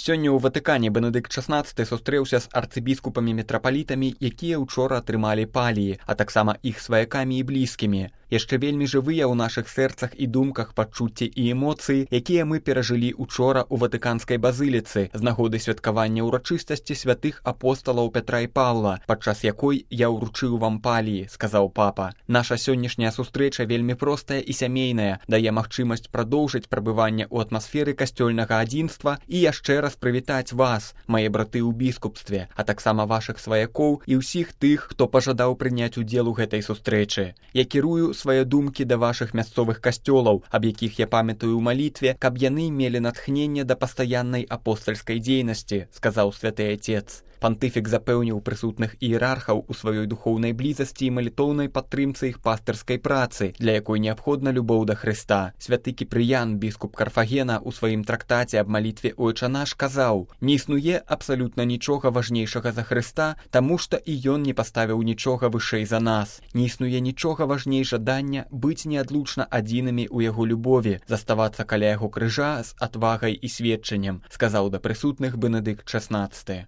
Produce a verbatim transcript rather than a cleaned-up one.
Сёння ў Ватыкане Бенедыкт шаснаццаты сустрэўся з арцыбіскупамі-метрапалітамі, якія ўчора атрымалі паліі, а таксама іх сваякамі і блізкімі. Яшчэ вельмі жывыя ў нашых сэрцах і думках пачуцці і эмоцыі, якія мы перажылі учора ў Ватыканскай базыліцы з нагоды святкавання ўрачыстасці святых апосталаў Пятра і Паўла, падчас якой я ўручыў вам паліі, сказаў папа. Наша сённяшняя сустрэча вельмі простая і сямейная, дае магчымасць прадоўжыць прабыванне ў атмасферы касцёльнага адзінства і яшчэ раз прывітаць вас, мае браты ў біскупстве, а таксама вашых сваякоў і ўсіх тых, хто пажадаў прыняць удзел у гэтай сустрэчы. Я кірую свае думкі да вашых мясцовых касцёлаў, аб якіх я памятаю ў малітве, каб яны мелі натхненне да пастаяннай апостальскай дзейнасці, сказаў святы Отец. Пантыфік запэўніў прысутных іерархаў у сваёй духоўнай блізасці і малітоўнай падтрымцы іх пастырскай працы, для якой неабходна любоў да Хрыста. Святы Кіпрыян, біскуп Карфагена, у сваім трактаце аб малітве «Ойча наш» казаў: «Не існуе абсалютна нічога важнейшага за Хрыста, таму што і ён не паставіў нічога вышэй за нас. Не існуе нічога важней жадання быць неадлучна адзінымі ў яго любові, заставацца каля яго крыжа з адвагай і сведчаннем», сказаў да прысутных Бенедыкт шаснаццаты.